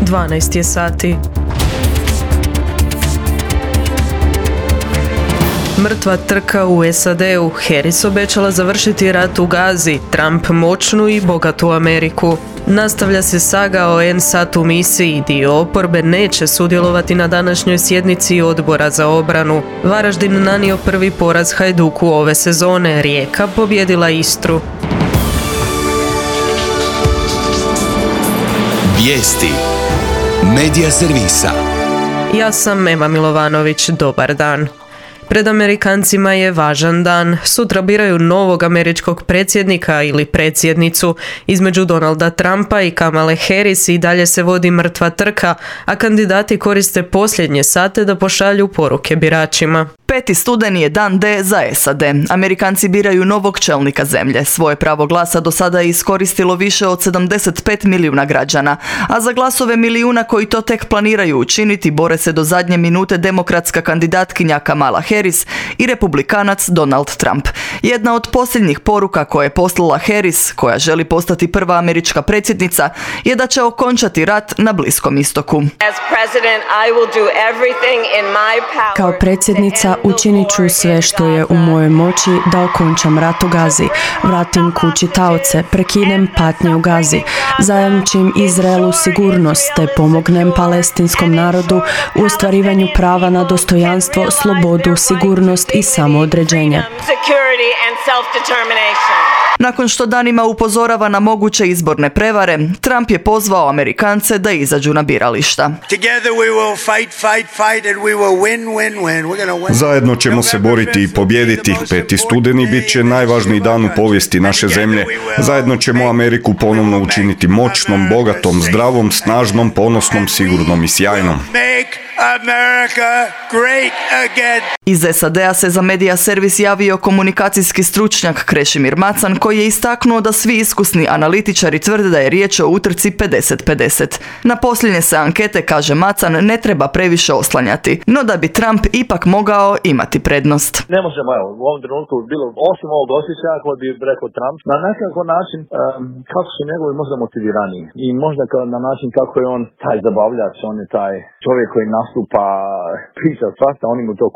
12 je sati. Mrtva trka u SAD-u. Harris obećala završiti rat u Gazi, Trump moćnu i bogatu Ameriku. Nastavlja se saga o NSAT-u misiji. Dio oporbe neće sudjelovati na današnjoj sjednici Odbora za obranu. Varaždin nanio prvi poraz Hajduku ove sezone. Rijeka pobjedila Istru. Vijesti Medija servisa. Ja sam Ema Milovanović. Dobar dan. Pred Amerikancima je važan dan. Sutra biraju novog američkog predsjednika ili predsjednicu. Između Donalda Trumpa i Kamale Harris i dalje se vodi mrtva trka, a kandidati koriste posljednje sate da pošalju poruke biračima. 5. studeni je dan D za SAD. Amerikanci biraju novog čelnika zemlje. Svoje pravo glasa do sada je iskoristilo više od 75 milijuna građana, a za glasove milijuna koji to tek planiraju učiniti bore se do zadnje minute demokratska kandidatkinja Kamala Harris i republikanac Donald Trump. Jedna od posljednjih poruka koje je poslala Harris, koja želi postati prva američka predsjednica, je da će okončati rat na Bliskom istoku. Kao predsjednica učinit ću sve što je u mojoj moći da okončam rat u Gazi, vratim kući taoce, prekinem patnje u Gazi, zajamčim Izraelu sigurnost te pomognem palestinskom narodu u ostvarivanju prava na dostojanstvo, slobodu, sigurnost i samoodređenje. Nakon što danima upozorava na moguće izborne prevare, Trump je pozvao Amerikance da izađu na birališta. Zajedno ćemo se boriti i pobijediti. 5. studeni bit će najvažniji dan u povijesti naše zemlje. Zajedno ćemo Ameriku ponovno učiniti moćnom, bogatom, zdravom, snažnom, ponosnom, sigurnom i sjajnom. Iz SAD-a se za medija servis javio komunikacijski stručnjak Krešimir Macan, koji je istaknuo da svi iskusni analitičari tvrde da je riječ o utrci 50-50. Na posljednje se ankete, kaže Macan, ne treba previše oslanjati, no da bi Trump ipak mogao imati prednost. Ne možemo, u ovom trenutku bilo, osim ovog osjećaja koji bi rekao Trump, na nekakav način kako su njegovi možda motiviraniji i možda na način kako je on taj zabavljač, on je taj čovjek koji nastupa, priča svašta, oni mu to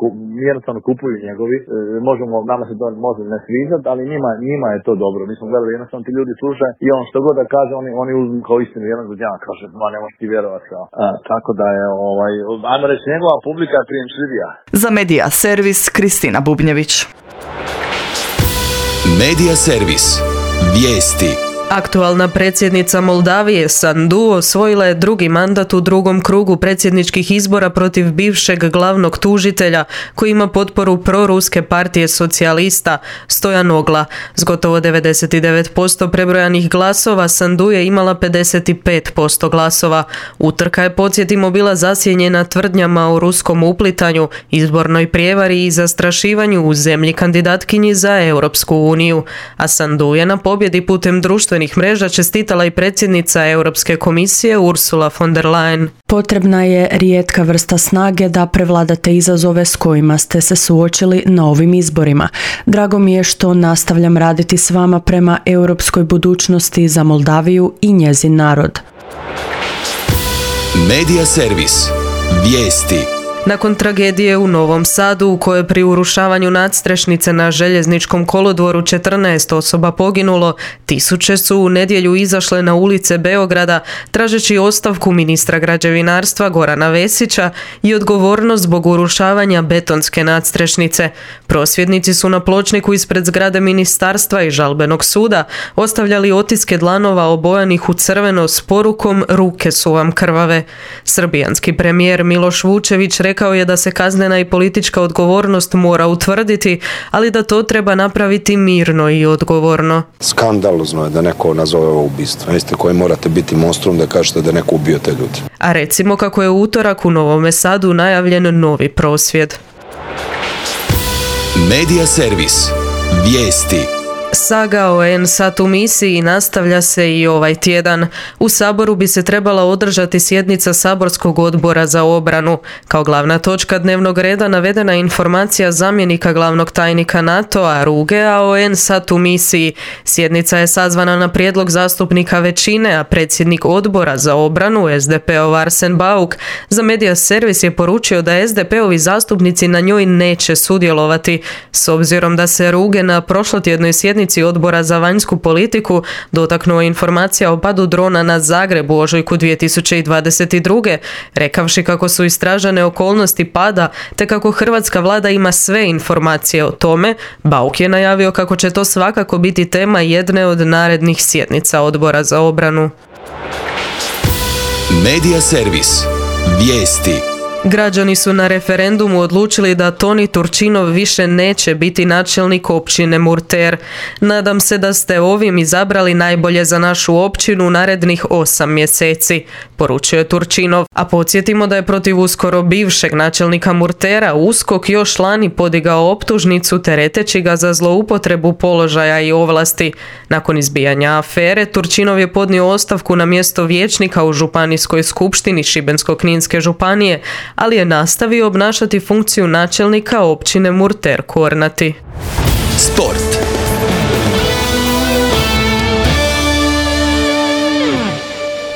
jednostavno kupuju njegovi, nama se to može ne sviđati, ali njima je to dobro. Mi smo gledali, jednostavno ti ljudi slušaju i on što god da kaže, oni uzmu kao istinu, jedan god jedan kaže, ne možeš ti vjerovati kao. Tako da je, ajmo reći, njegova publika je prijemčljivija. Za medija servis Kristina Bubnjević. Medija servis. Vijesti. Aktualna predsjednica Moldavije Sandu osvojila je drugi mandat u drugom krugu predsjedničkih izbora protiv bivšeg glavnog tužitelja koji ima potporu proruske partije socijalista Stojan Ogla. S gotovo 99% prebrojanih glasova Sandu je imala 55% glasova. Utrka je, podsjetimo, bila zasjenjena tvrdnjama o ruskom uplitanju, izbornoj prijevari i zastrašivanju u zemlji kandidatkinji za Europsku uniju. A Sandu je na pobjedi putem društvenih mreža čestitala i predsjednica Europske komisije Ursula von der Leyen. Potrebna je rijetka vrsta snage da prevladate izazove s kojima ste se suočili na ovim izborima. Drago mi je što nastavljam raditi s vama prema europskoj budućnosti za Moldaviju i njezin narod. Medija servis. Vijesti. Nakon tragedije u Novom Sadu u kojoj pri urušavanju nadstrešnice na željezničkom kolodvoru 14 osoba poginulo, tisuće su u nedjelju izašle na ulice Beograda tražeći ostavku ministra građevinarstva Gorana Vesića i odgovornost zbog urušavanja betonske nadstrešnice. Prosvjednici su na pločniku ispred zgrade ministarstva i žalbenog suda ostavljali otiske dlanova obojanih u crveno s porukom "Ruke su vam krvave". Srbijanski premijer Miloš Vučević rekao je da se kaznena i politička odgovornost mora utvrditi, ali da to treba napraviti mirno i odgovorno. Skandalozno je da neko nazove ovo ubistvo. Jeste koji morate biti monstrum da kažete da neko ubio te ljudi. A recimo kako je u utorak u Novome Sadu najavljen novi prosvjed. Medija servis. Vijesti. Saga o NSAT u misiji nastavlja se i ovaj tjedan. U Saboru bi se trebala održati sjednica Saborskog odbora za obranu. Kao glavna točka dnevnog reda navedena je informacija zamjenika glavnog tajnika NATO-a Rugea o NSAT u misiji. Sjednica je sazvana na prijedlog zastupnika većine, a predsjednik odbora za obranu, SDP-ov Arsen Bauk, za Media Servis je poručio da SDP-ovi zastupnici na njoj neće sudjelovati, s obzirom da se Ruge na prošlotjednoj sjednici odbora za vanjsku politiku dotaknuo informacija o padu drona na Zagreb u ožujku 2022. rekavši kako su istražene okolnosti pada te kako hrvatska vlada ima sve informacije o tome. Bauk je najavio kako će to svakako biti tema jedne od narednih sjednica odbora za obranu. Media Servis. Vijesti. Građani su na referendumu odlučili da Toni Turčinov više neće biti načelnik općine Murter. Nadam se da ste ovim izabrali najbolje za našu općinu u narednih 8 mjeseci, poručio je Turčinov. A podsjetimo da je protiv uskoro bivšeg načelnika Murtera USKOK još lani podigao optužnicu tereteći ga za zloupotrebu položaja i ovlasti. Nakon izbijanja afere, Turčinov je podnio ostavku na mjesto vijećnika u Županijskoj skupštini Šibensko-kninske županije, ali je nastavio obnašati funkciju načelnika općine Murter Kornati. Sport.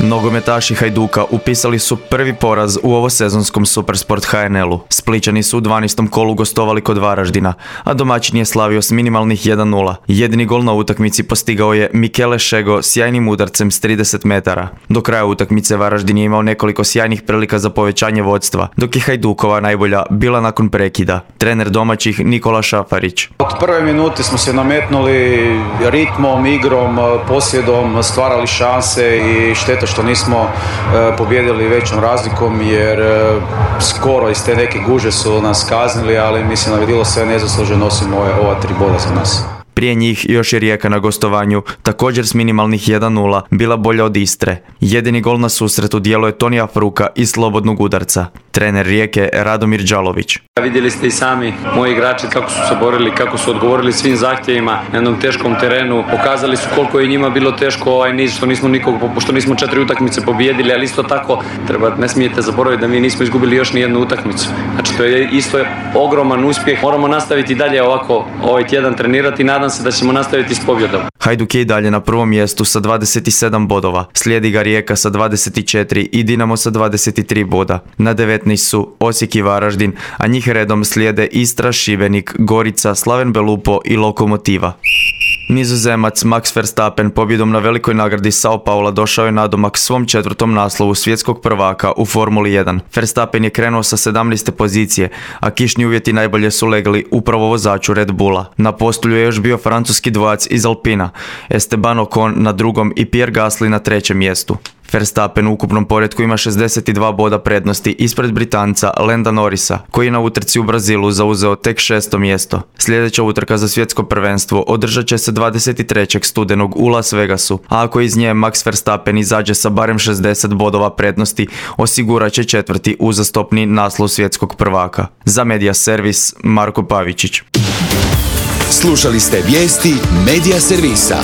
Nogometaši Hajduka upisali su prvi poraz u ovosezonskom Supersport HNL-u. Splićani su u 12. kolu gostovali kod Varaždina, a domaćin je slavio s minimalnih 1-0. Jedini gol na utakmici postigao je Mikele Šego sjajnim udarcem s 30 metara. Do kraja utakmice Varaždin je imao nekoliko sjajnih prilika za povećanje vodstva, dok je Hajdukova najbolja bila nakon prekida. Trener domaćih Nikola Šafarić. Od prve minute smo se nametnuli ritmom, igrom, posjedom, stvarali šanse i šteta što nismo pobijedili većom razlikom jer skoro iz te neke guže su nas kaznili, ali mislim da bi bilo sve nezasluženo osim ova 3 boda za nas. Prije njih još je Rijeka na gostovanju, također s minimalnih 1-0, bila bolja od Istre. Jedini gol na susretu djelo je Tonija Fruka iz slobodnog udarca. Trener Rijeke Radomir Đalović. Vidjeli ste i sami moji igrači kako su se borili, kako su odgovorili svim zahtjevima na jednom teškom terenu. Pokazali su koliko je njima bilo teško ovaj niz, što nismo 4 utakmice pobijedili, ali isto tako ne smijete zaboraviti da mi nismo izgubili još ni jednu utakmicu. Znači to je isto ogroman uspjeh. Moramo nastaviti dalje ovako ovaj tjedan trenirati i nadam se da ćemo nastaviti s pobjedom. Hajduk je i dalje na prvom mjestu sa 27 bodova. Slijedi ga Rijeka sa 24 i Dinamo sa 23 boda. Na 19 su Osijek i Varaždin, a njih redom slijede Istra, Šibenik, Gorica, Slaven Belupo i Lokomotiva. Nizozemac Max Verstappen pobjedom na velikoj nagradi Sao Paula došao je nadomak svom 4. naslovu svjetskog prvaka u Formuli 1. Verstappen je krenuo sa 17. pozicije, a kišni uvjeti najbolje su legli upravo vozaču Red Bulla. Na postulju je još bio francuski dvojac iz Alpina, Esteban Ocon na 2. i Pierre Gasly na 3. mjestu. Verstappen u ukupnom poretku ima 62 boda prednosti ispred Britanca Landa Norrisa, koji je na utrci u Brazilu zauzeo tek 6. mjesto. Sljedeća utrka za svjetsko prvenstvo održat će se 23. studenog u Las Vegasu, a ako iz nje Max Verstappen izađe sa barem 60 bodova prednosti, osigurat će 4. uzastopni naslov svjetskog prvaka. Za Media Servis, Marko Pavičić. Slušali ste vijesti Media Servisa.